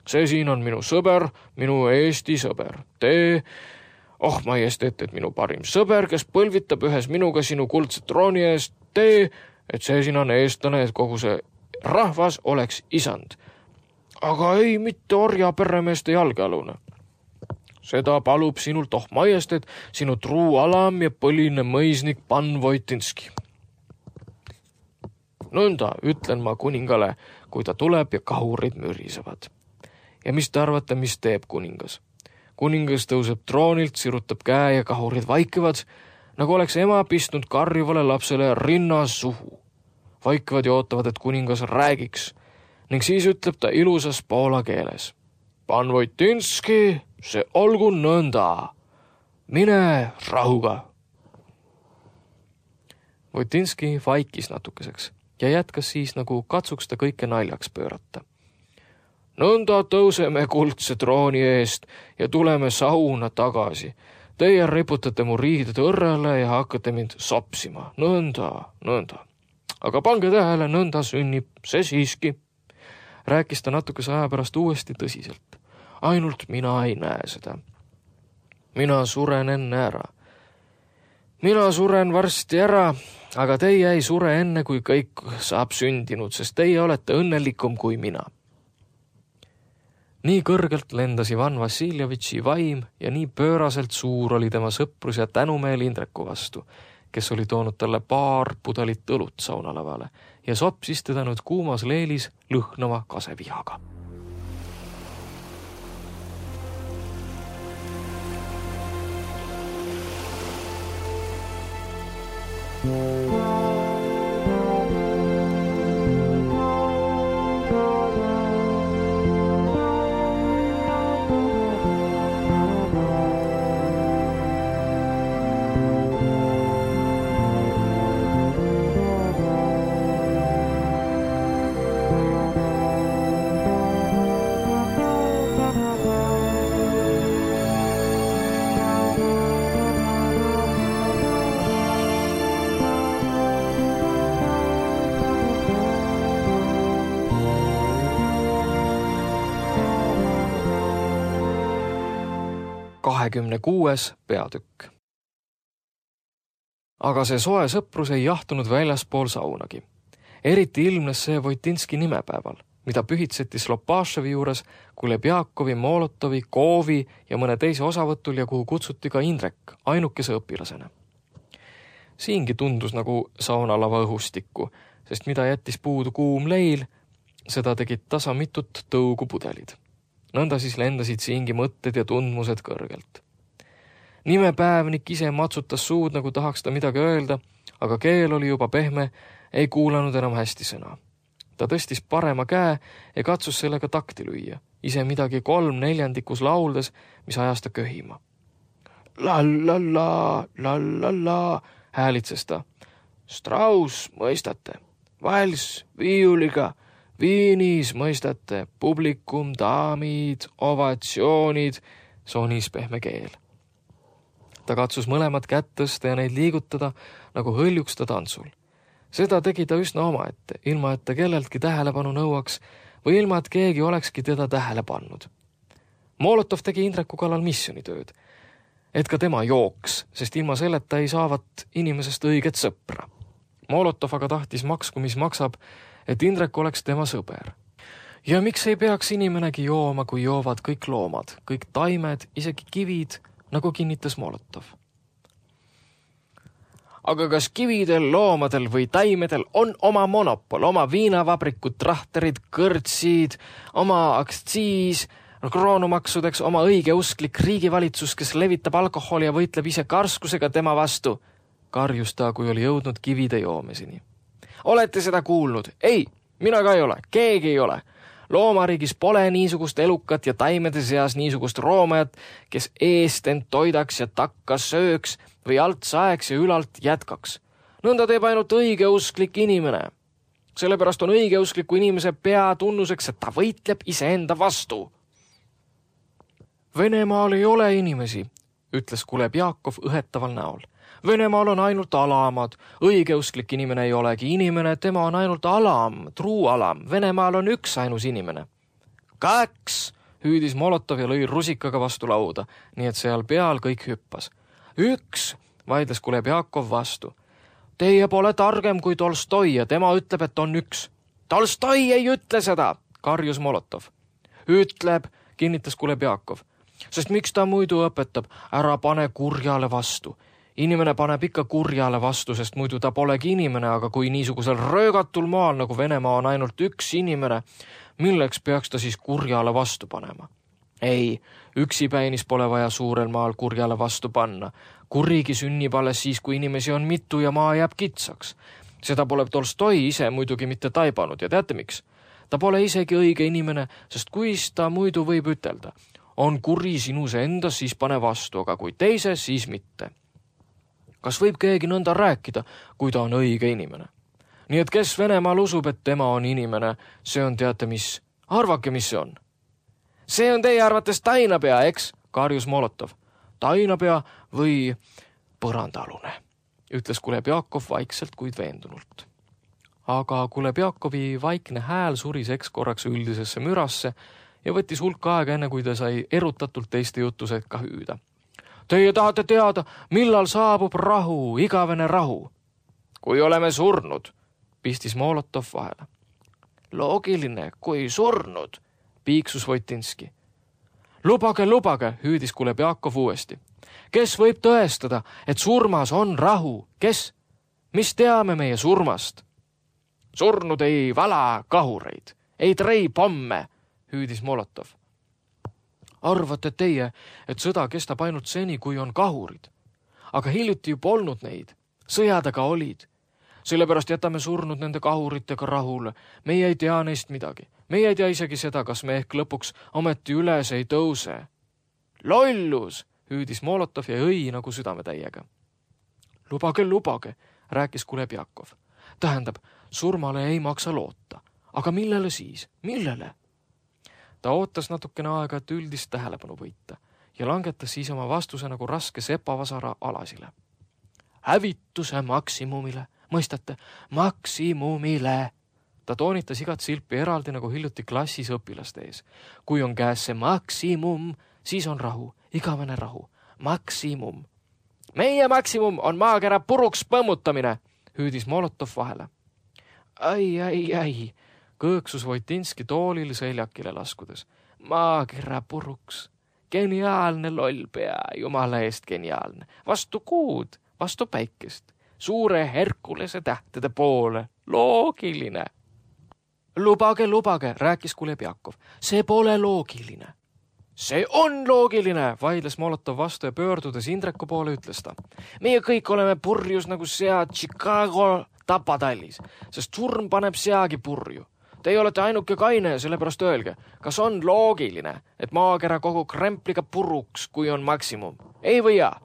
see siin on minu sõber, minu Eesti sõber. Te, majesteet, et minu parim sõber, kes põlvitab ühes minuga sinu kuldset trooni eest, te, et see siin on eestlane, et kogu see rahvas oleks isand. aga ei mitte orja peremeeste jalgealune. Seda palub sinult majestet, sinu truu alam ja põline mõisnik pan Voitinski. Nõnda ütlen ma kuningale, kui ta tuleb ja kahurid mürisevad. Ja mis te arvate, mis teeb kuningas? Kuningas tõuseb troonilt, sirutab käe ja kahurid vaikivad, nagu oleks ema pistnud karjuvale lapsele rinnas suhu. Vaikivad ja ootavad, et kuningas räägiks ning siis ütleb ta ilusas poola keeles. Pan Voitinski, see olgu nõnda. Mine rahuga. Voitinski vaikis natukeseks ja jätkas siis, nagu katsuks ta kõike naljaks pöörata. Nõnda tõuseme kuldse trooni eest ja tuleme sauna tagasi. Teie riputate mu riided õrrele ja hakkate mind sopsima. Nõnda. Aga pange tähele, nõnda sünnib see siiski. Rääkis ta natukese aja pärast uuesti tõsiselt. Ainult mina ei näe seda. Mina suren enne ära. Mina suren varsti ära, aga teie ei sure enne, kui kõik saab sündinud, sest teie olete õnnelikum kui mina. Nii kõrgelt lendas Ivan Vassiljevitši vaim ja nii pööraselt suur oli tema sõprus ja tänumeel Indreku vastu, kes oli toonud talle paar pudelit õlut saunalavale ja sopsis teda nüüd kuumas leelis lõhnava kasevihaga. ...26. peatükk. Aga see soe sõprus ei jahtunud väljaspool saunagi. Eriti ilmnes see Voitinski nimepäeval, mida pühitseti Slopaševi juures, Kulebjakovi, Molotovi, Koovi ja mõne teise osavõtul ja kuhu kutsuti ka Indrek, ainukese õpilasena. Siingi tundus nagu saunalava õhustikku, sest mida jättis puudu kuum leil, seda tegid tasa mitut tõugu pudelid. Nõnda siis lendasid siingi mõtted ja tundmused kõrgelt. Nimepäevnik ise matsutas suud, nagu tahaks ta midagi öelda, aga keel oli juba pehme, ei kuulanud enam hästi sõna. Ta tõstis parema käe ja katsus sellega takti lüüa, ise midagi 3/4 lauldes, mis ajas ta köhima. La, häälitses ta. Strauss, mõistate, vals, viiuliga, Viinis, mõistate, publikum, daamid, ovatsioonid, sonis pehme keel. Ta katsus mõlemad kätt tõsta ja neid liigutada, nagu hõljuks ta tantsul. Seda tegi ta üsna omaette, ilma et ta kelleltki tähelepanu nõuaks või ilma et keegi olekski teda tähele pannud. Molotov tegi Indreku kallal missionitööd, et ka tema jooks, sest ilma selleta ei saavat inimesest õiget sõpra. Molotov aga tahtis maksku, mis maksab, et Indrek oleks tema sõber. Ja miks ei peaks inimenegi jooma, kui joovad kõik loomad, kõik taimed, isegi kivid, nagu kinnitas Molotov. Aga kas kividel, loomadel või taimedel on oma monopol, oma viinavabrikud, trahterid, kõrtsid, oma aktsiis, kroonumaksudeks oma õigeusklik riigivalitsus, kes levitab alkoholi ja võitleb ise karskusega tema vastu, karjus ta, kui oli jõudnud kivide joomesini. Olete seda kuulnud? Ei, mina ka ei ole, keegi ei ole. Loomariigis pole niisugust elukat ja taimede seas niisugust roomajat, kes eest end toidaks ja takka sööks või alt saeks ja ülalt jätkaks. Nõnda teeb ainult õigeusklik inimene. Sellepärast on õigeuskliku inimese peatunnuseks, et ta võitleb iseenda vastu. Venemaal ei ole inimesi, ütles Kulebjakov õhetaval näol. Venemaal on ainult alamad. Õigeusklik inimene ei olegi inimene, tema on ainult alam, truu alam. Venemaal on üks ainus inimene. 2, hüüdis Molotov ja lõi rusikaga vastu lauda, nii et seal peal kõik hüppas. 1, vaidles Kulebjakov vastu. Teie pole targem kui Tolstoi ja tema ütleb, et on 1. Tolstoi ei ütle seda, karjus Molotov. Ütleb, kinnitas Kulebjakov. Sest miks ta muidu õpetab, ära pane kurjale vastu. Inimene paneb ikka kurjale vastu, sest muidu ta polegi inimene, aga kui niisugusel röögatul maal nagu Venemaa on ainult üks inimene, milleks peaks ta siis kurjale vastu panema? Ei, üksipäinis pole vaja suurel maal kurjale vastu panna. Kurigi sünnib alles siis, kui inimesi on mitu ja maa jääb kitsaks. Seda pole Tolstoi ise muidugi mitte taibanud ja teate miks? Ta pole isegi õige inimene, sest kuis ta muidu võib ütelda. On kuri sinus endas, siis pane vastu, aga kui teise, siis mitte. Kas võib keegi nõnda rääkida, kui ta on õige inimene? Nii et kes Venemaal usub, et tema on inimene, see on teate mis? Arvake, mis see on? See on teie arvates tainapea, eks? Karjus Molotov. Tainapea või põrandaalune, ütles Kulebjakov vaikselt, kuid veendunult. Aga Kulebjakovi vaikne hääl suriseks korraks üldisesse mürasse ja võttis hulk aega enne, kui ta sai erutatult teiste jutu sekka hüüda. Teie tahate teada, millal saabub rahu, igavene rahu? Kui oleme surnud, pistis Molotov vahele. Loogiline, kui surnud, piiksus Voitinski. Lubage, hüüdis Kulebjakov uuesti. Kes võib tõestada, et surmas on rahu? Kes? Mis teame meie surmast? Surnud ei vala kahureid, ei trei pomme, hüüdis Molotov. Arvate teie, et sõda kestab ainult seni, kui on kahurid? Aga hiljuti ju polnud neid. Sõjad aga olid. Sellepärast jätame surnud nende kahuritega rahule. Meie ei tea neist midagi. Meie ei tea isegi seda, kas me ehk lõpuks ometi üles ei tõuse. Lollus, hüüdis Molotov ja õi nagu südametäiega. Lubage, rääkis Kulebjakov. Tähendab, surmale ei maksa loota. Aga millele siis? Millele? Ta ootas natukene aega, et üldist tähelepanu võita ja langetas siis oma vastuse nagu raske sepavasara Alasile. Hävituse maksimumile, mõistate? Maksimumile! Ta toonitas igat silpi eraldi nagu hiljuti klassis õpilaste ees. Kui on käes see maksimum, siis on rahu, igavene rahu. Maksimum. Meie maksimum on maakera puruks põmmutamine, hüüdis Molotov vahele. Ai, kõõksus Voitinski toolil seljakile laskudes. Maakera puruks. Geniaalne loll pea, jumala eest geniaalne. Vastu kuud, vastu päikest. Suure Herkulese tähtede poole. Loogiline. Lubage, rääkis Kulebjakov. See pole loogiline. See on loogiline, vaidles Molotov vastu ja pöördudes Indreku poole ütles ta. Meie kõik oleme purjus nagu sead Chicago tapatallis, sest surm paneb seagi purju. Teie olete ainuke kaine, sellepärast öelge, kas on loogiline, et maakera kogu krempliga puruks, kui on maksimum? Ei või jaa?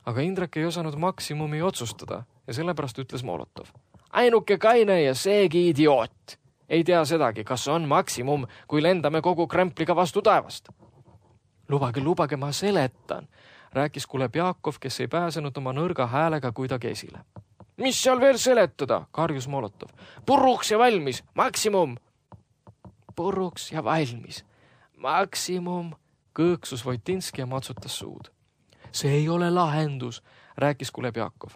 Aga Indrek ei osanud maksimumi otsustada ja sellepärast ütles Molotov. Ainuke kaine ja seegi idioot. Ei tea sedagi, kas on maksimum, kui lendame kogu krempliga vastu taevast. Lubage, ma seletan, rääkis Kulebjakov, kes ei pääsenud oma nõrga häälega kuidagi esile. Mis seal veel seletada, karjus Molotov. Puruks ja valmis, maksimum. Puruks ja valmis, maksimum, kõõksus Voitinski ja matsutas suud. See ei ole lahendus, rääkis Kulebjakov.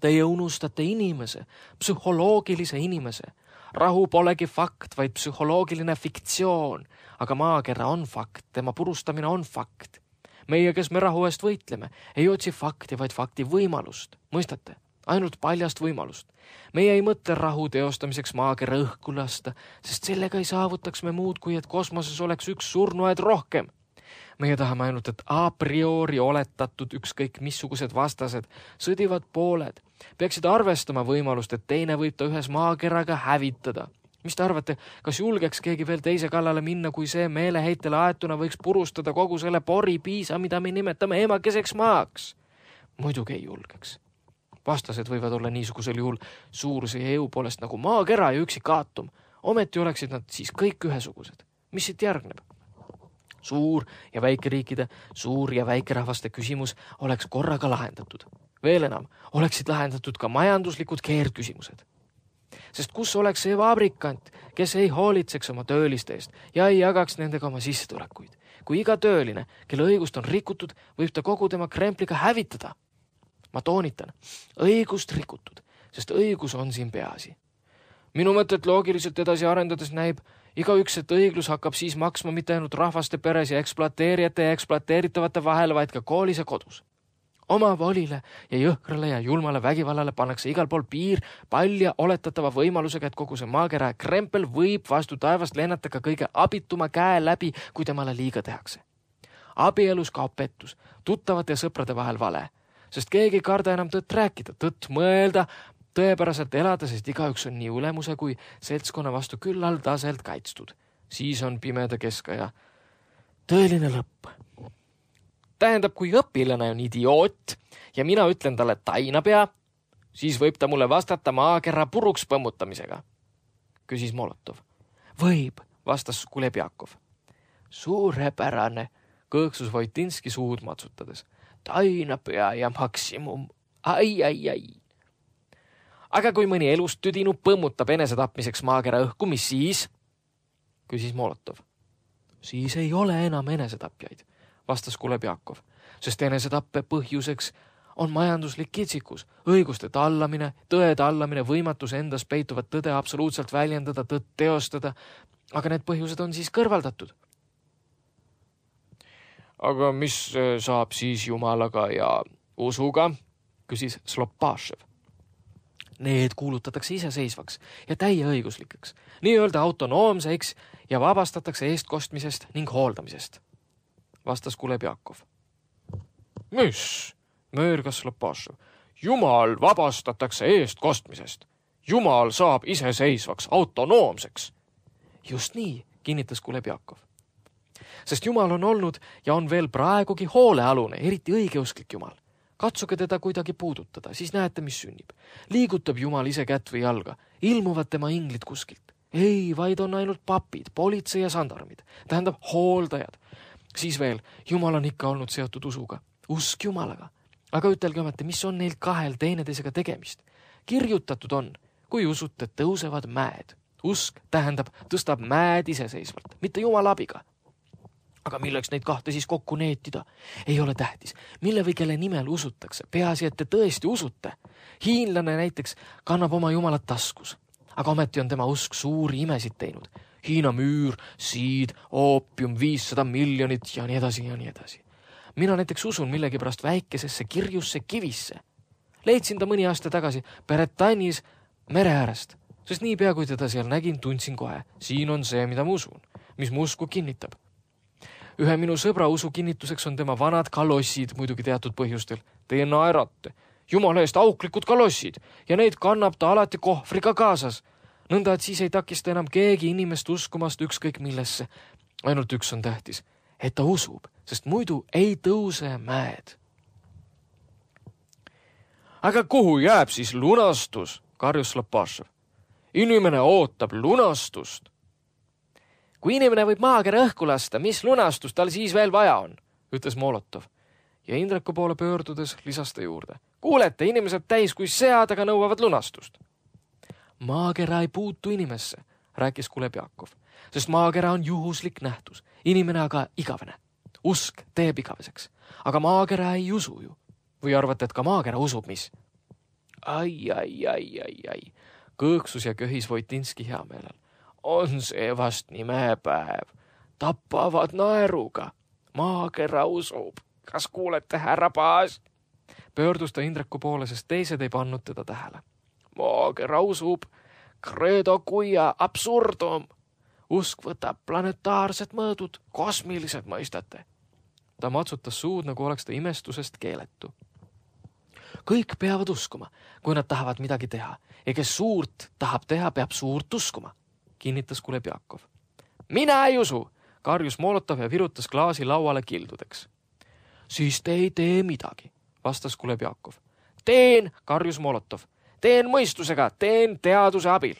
Teie unustate inimese, psühholoogilise inimese. Rahu polegi fakt, vaid psühholoogiline fiktsioon, aga maakera on fakt, tema purustamine on fakt. Meie, kes me rahu eest võitleme, ei otsi fakti, vaid fakti võimalust. Mõistate? Ainult paljast võimalust. Meie ei mõtle rahu teostamiseks maakera õhku lasta, sest sellega ei saavutaks me muud, kui et kosmoses oleks üks surnuaed rohkem. Meie tahame ainult, et a priori oletatud ükskõik missugused vastased, sõdivad pooled, peaksid arvestama võimalust, et teine võib ta ühes maakeraga hävitada. Mis te arvate, kas julgeks keegi veel teise kallale minna, kui see meeleheitele aetuna võiks purustada kogu selle poripiisa, mida me nimetame emakeseks maaks? Muidugi ei julgeks. Vastased võivad olla niisugusel juhul suuruse ja jõu poolest nagu maakera ja üksik aatom. Ometi oleksid nad siis kõik ühesugused. Mis siit järgneb? Suur- ja väikeriikide, suur- ja väikerahvaste küsimus oleks korraga lahendatud. Veel enam, oleksid lahendatud ka majanduslikud keerdküsimused. Sest kus oleks see vabrikant, kes ei hoolitseks oma tööliste eest ja ei jagaks nendega oma sissetulekuid? Kui iga tööline, kelle õigust on rikutud, võib ta kogu tema krempliga hävitada. Ma toonitan, õigust rikutud, sest õigus on siin peaasi. Minu mõtet loogiliselt edasi arendades näib, Igaüks, et õiglus hakkab siis maksma mitte ainult rahvaste peres ja ekspluateerijate ja ekspluateeritavate vahel, vaid ka koolis ja kodus. Oma volile ja jõhkrale ja julmale vägivallale pannakse igal pool piir palja oletatava võimalusega, et kogu see maakera krempel võib vastu taevast lennata ka kõige abituma käe läbi, kui temale liiga tehakse. Abielus kaob pettus, tuttavate ja sõprade vahel vale, sest keegi ei karda enam tõtt rääkida, tõtt mõelda, tõepäraselt elada, sest igaüks on nii ülemuse kui seltskonna vastu küllaldaselt kaitstud. Siis on pimeda keskaja tõeline lõpp. Tähendab, kui õpilane on idioot ja mina ütlen talle tainapea, siis võib ta mulle vastata maakera puruks põmmutamisega, küsis Molotov. Võib, vastas Kulebjakov. Suurepärane, kõõksus Voitinski suud matsutades. Tainapea ja maksimum. Ai. Aga kui mõni elust tüdinu põmmutab enesetapmiseks maakera õhku, mis siis? Küsis Molotov. Siis ei ole enam enesetapjaid, vastas Kulebjakov, sest enesetappe põhjuseks on majanduslik kitsikus, õiguste tallamine, tõe tallamine, võimatus endas peituvat tõde absoluutselt väljendada, tõtt teostada, aga need põhjused on siis kõrvaldatud. Aga mis saab siis jumalaga ja usuga, küsis Slopašev. Need kuulutatakse iseseisvaks ja täieõiguslikeks, nii-öelda autonoomseks ja vabastatakse eestkostmisest ning hooldamisest, vastas Kulebjakov. Mis? Möörgas Slopašev. Jumal vabastatakse eestkostmisest. Jumal saab iseseisvaks, autonoomseks. Just nii, kinnitas Kulebjakov. Sest Jumal on olnud ja on veel praegugi hoolealune, eriti õigeusklik Jumal. Katsuge teda kuidagi puudutada, siis näete, mis sünnib. Liigutab Jumal ise kätt või jalga, ilmuvad tema inglid kuskilt. Ei, vaid on ainult papid, politsei ja sandarmid, tähendab hooldajad. Siis veel, Jumal on ikka olnud seotud usuga, usk Jumalaga. Aga ütelge ometi, mis on neil kahel teineteisega tegemist? Kirjutatud on, kui usute, tõusevad mäed. Usk tähendab, tõstab mäed iseseisvalt, mitte Jumala abiga. Aga milleks neid kahte siis kokku neetida? Ei ole tähtis, mille või kelle nimel usutakse. Peaasi, et te tõesti usute. Hiinlane näiteks kannab oma Jumalat taskus, aga ometi on tema usk suuri imesid teinud. Hiina müür, siid, oopium, 500 miljonit ja nii edasi ja nii edasi. Mina näiteks usun millegipärast väikesesse kirjusse kivisse. Leidsin ta mõni aasta tagasi Bretanis mere äärest, sest niipea kui teda seal nägin, tundsin kohe. Siin on see, mida ma usun, mis mu usku kinnitab. Ühe minu sõbra usu kinnituseks on tema vanad kalossid, muidugi teatud põhjustel. Te naerate. Jumala eest auklikud kalossid ja neid kannab ta alati kohvriga kaasas. Nõnda, et siis ei takista enam keegi inimest uskumast ükskõik millesse. Ainult üks on tähtis, et ta usub, sest muidu ei tõuse mäed. Aga kuhu jääb siis lunastus, karjus Slopašev. Inimene ootab lunastust. Kui inimene võib maakera õhku lasta, mis lunastust tal siis veel vaja on, ütles Molotov. Ja Indreku poole pöördudes lisas ta juurde. Kuulete, inimesed täis kui sead, aga nõuavad lunastust. Maakera ei puutu inimesse, rääkis Kulebjakov, sest maakera on juhuslik nähtus, inimene aga igavene. Usk teeb igaveseks, aga maakera ei usu ju. Või arvate, et ka maakera usub, mis? Ai. Kõõksus ja köhis Voitinski heameelel. On see vast nimepäev. Tappavad naeruga. Maakera usub. Kas kuulete, härra Paas? Pöördus ta Indreku poole, sest teised ei pannud teda tähele. Maakera usub. Credo quia absurdum. Usk võtab planetaarsed mõõdud, kosmilised mõistate. Ta matsutas suud, nagu oleks ta imestusest keeletu. Kõik peavad uskuma, kui nad tahavad midagi teha. Ja kes suurt tahab teha, peab suurt uskuma, kinnitas Kulebjakov. Mina ei usu, karjus Molotov ja virutas klaasi lauale kildudeks. Siis te ei tee midagi, vastas Kulebjakov. Teen, karjus Molotov. Teen mõistusega, teen teaduse abil.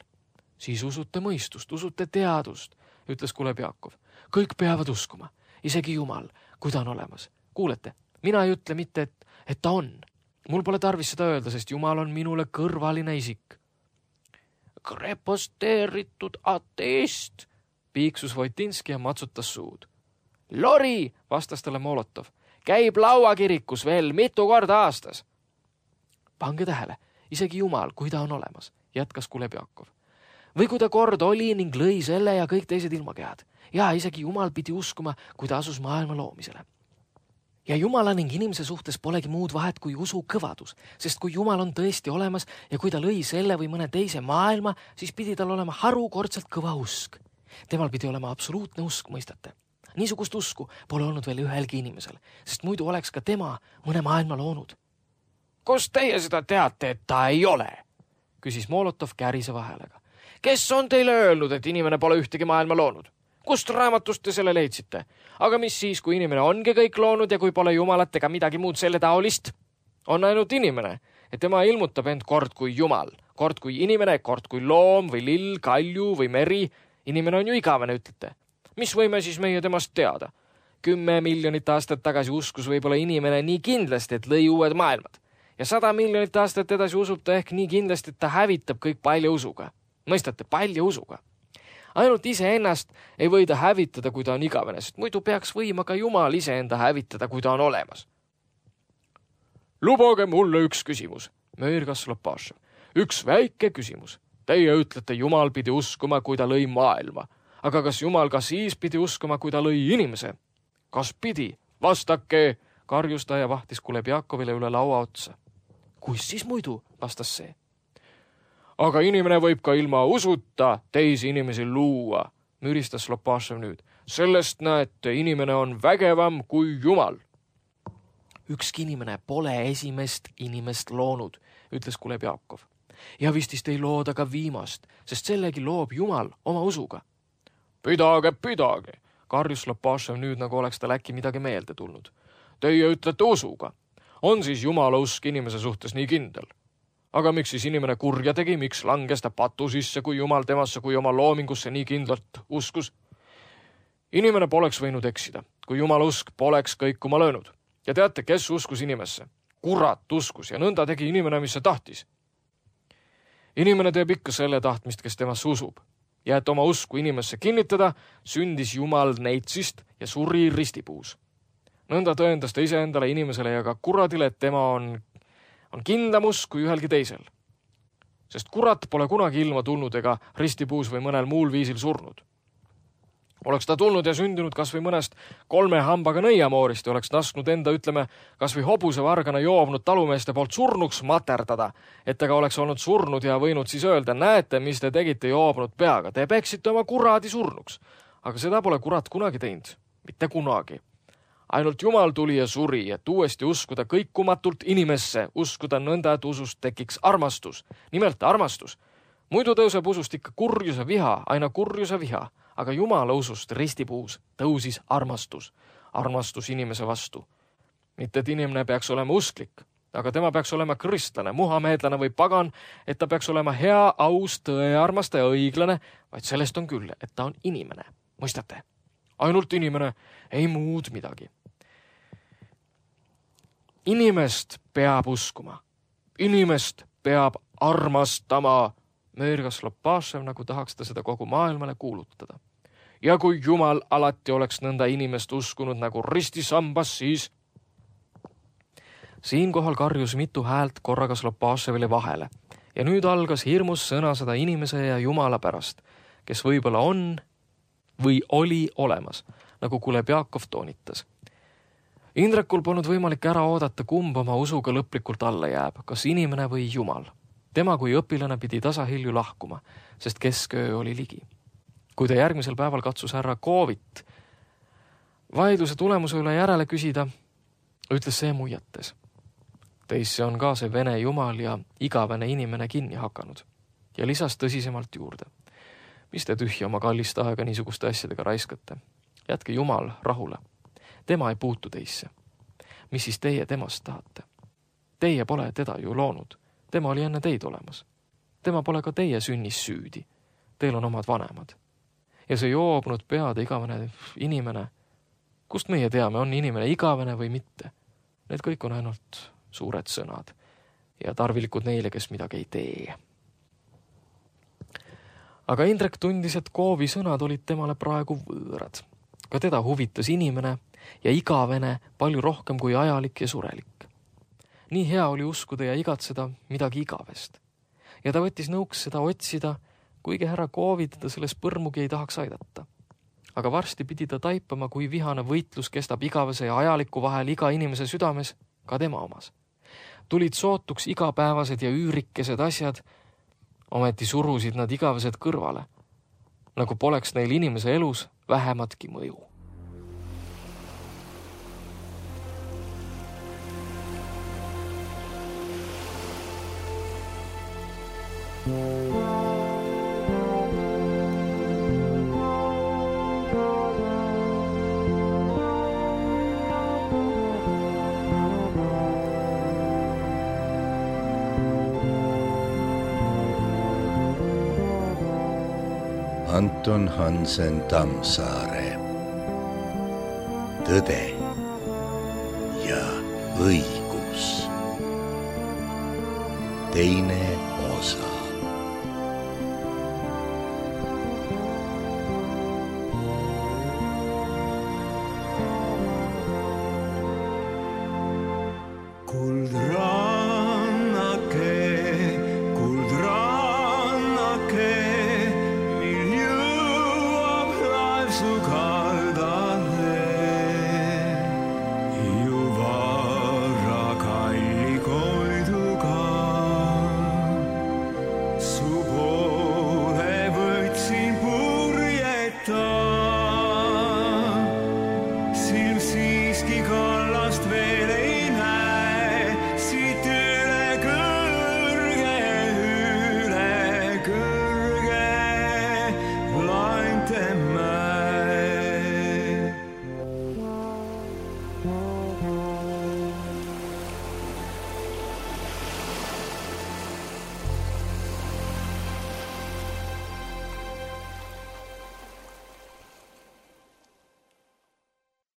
Siis usute mõistust, usute teadust, ütles Kulebjakov. Kõik peavad uskuma, isegi Jumal, kui ta on olemas. Kuulete, mina ei ütle mitte, et ta on. Mul pole tarvis seda öelda, sest Jumal on minule kõrvaline isik. Kreposteeritud ateist, piiksus Voitinski ja matsutas suud. Lori, vastas talle Molotov, käib lauakirikus veel mitu korda aastas. Pange tähele, isegi Jumal, kui ta on olemas, jätkas Kulebjakov. Või kui ta kord oli ning lõi selle ja kõik teised ilmakehad. Ja isegi Jumal pidi uskuma, kui ta asus maailma loomisele. Ja Jumala ning inimese suhtes polegi muud vahet kui usu kõvadus, sest kui Jumal on tõesti olemas ja kui ta lõi selle või mõne teise maailma, siis pidi tal olema harukordselt kõva usk. Temal pidi olema absoluutne usk, mõistate. Niisugust usku pole olnud veel ühelgi inimesel, sest muidu oleks ka tema mõne maailma loonud. Kust teie seda teate, et ta ei ole? Küsis Molotov käriseva häälega. Kes on teile öelnud, et inimene pole ühtegi maailma loonud? Kust raamatust te selle leidsite? Aga mis siis, kui inimene ongi kõik loonud ja kui pole Jumalat ega midagi muud selle taolist? On ainult inimene, et tema ilmutab end kord kui Jumal, kord kui inimene, kord kui loom või lill, kalju või meri. Inimene on ju igavene, ütlete. Mis võime siis meie temast teada? 10 miljonit aastat tagasi uskus võib-olla inimene nii kindlasti, et lõi uued maailmad. Ja 100 miljonit aastat edasi usub ta ehk nii kindlasti, et ta hävitab kõik palja usuga. Mõistate, palja usuga. Ainult iseennast ei või ta hävitada, kui ta on igavene, sest muidu peaks võima ka Jumal iseenda hävitada, kui ta on olemas. Lubage mulle üks küsimus, möirgas Lopašev. Üks väike küsimus. Teie ütlete, Jumal pidi uskuma, kui ta lõi maailma. Aga kas Jumal ka siis pidi uskuma, kui ta lõi inimese? Kas pidi? Vastake, karjus ta ja vahtis Kulebjakovile üle laua otsa. Kus siis muidu, vastas see. Aga inimene võib ka ilma usuta teisi inimesi luua, müristas Lopašev nüüd. Sellest näete, inimene on vägevam kui Jumal. Ükski inimene pole esimest inimest loonud, ütles Kulebjakov. Ja vistist ei looda ka viimast, sest sellegi loob Jumal oma usuga. Pidage, karjus Lopašev nüüd, nagu oleks tal äkki midagi meelde tulnud. Teie ütlete usuga. On siis Jumala usk inimese suhtes nii kindel? Aga miks siis inimene kurja tegi, miks langes ta patu sisse, kui Jumal temasse kui oma loomingusse nii kindlalt uskus? Inimene poleks võinud eksida, kui Jumala usk poleks kõikuma löönud. Ja teate, kes uskus inimesse? Kurat uskus ja nõnda tegi inimene, mis see tahtis. Inimene teeb ikka selle tahtmist, kes temasse usub. Ja et oma usku inimesse kinnitada, sündis Jumal neitsist ja suri ristipuus. Nõnda tõendas ta iseendale, inimesele ja ka kuradile, et tema on kindlam usk kui ühelgi teisel. Sest kurat pole kunagi ilma tulnud ega ristipuus või mõnel muul viisil surnud. Oleks ta tulnud ja sündinud kas või mõnest 3 hambaga nõiamoorist ja oleks lasknud enda, ütleme, kas või hobusevargana joobnud talumeeste poolt surnuks materdada, et ta ka oleks olnud surnud ja võinud siis öelda, näete, mis te tegite joobnud peaga, te peksite oma kuradi surnuks. Aga seda pole kurat kunagi teinud, mitte kunagi. Ainult Jumal tuli ja suri, et uuesti uskuda kõikumatult inimesse, uskuda nõnda, et usust tekiks armastus. Nimelt armastus. Muidu tõuseb usust ikka kurjuse viha, aina kurjuse viha, aga Jumala usust ristipuus tõusis armastus. Armastus inimese vastu. Mitte, et inimene peaks olema usklik, aga tema peaks olema kristlane, muhameedlane või pagan, et ta peaks olema hea, aus, tõearmastaja, õiglane, vaid sellest on küll, et ta on inimene. Mõistate? Ainult inimene, ei muud midagi. Inimest peab uskuma. Inimest peab armastama, möirgas Lopašev, nagu tahaks ta seda kogu maailmale kuulutada. Ja kui Jumal alati oleks nõnda inimest uskunud nagu ristisambas, siis... Siinkohal karjus mitu häält korragas Lopaševile vahele ja nüüd algas hirmus sõnasõda inimese ja Jumala pärast, kes võib-olla on või oli olemas, nagu Kulebjakov toonitas. Indrekul polnud võimalik ära oodata, kumb oma usuga lõplikult alla jääb, kas inimene või Jumal. Tema kui õpilane pidi tasahilju lahkuma, sest kesköö oli ligi. Kui ta järgmisel päeval katsus härra Koovit vaidluse tulemuse üle järele küsida, ütles see muiates. Teisse on ka see vene Jumal ja igavene inimene kinni hakanud ja lisas tõsisemalt juurde. Mis te tühja oma kallist aega niisuguste asjadega raiskate? Jätke Jumal rahule. Tema ei puutu teisse. Mis siis teie temast tahate? Teie pole teda ju loonud. Tema oli enne teid olemas. Tema pole ka teie sünnis süüdi. Teil on omad vanemad. Ja see joobnud peade igavene inimene, kust meie teame, on inimene igavene või mitte? Need kõik on ainult suured sõnad ja tarvilikud neile, kes midagi ei tee. Aga Indrek tundis, et Koovi sõnad olid temale praegu võõrad. Ka teda huvitas inimene ja igavene palju rohkem kui ajalik ja surelik. Nii hea oli uskuda ja igatseda midagi igavest. Ja ta võttis nõuks seda otsida, kuigi härra Koovi teda selles põrmugi ei tahaks aidata. Aga varsti pidi ta taipama, kui vihane võitlus kestab igavese ja ajaliku vahel iga inimese südames, ka tema omas. Tulid sootuks igapäevased ja üürikesed asjad, ometi surusid nad igavesed kõrvale, nagu poleks neil inimese elus vähematki mõju. Anton Hansen Tammsaare. Tõde ja õigus. Teine osa.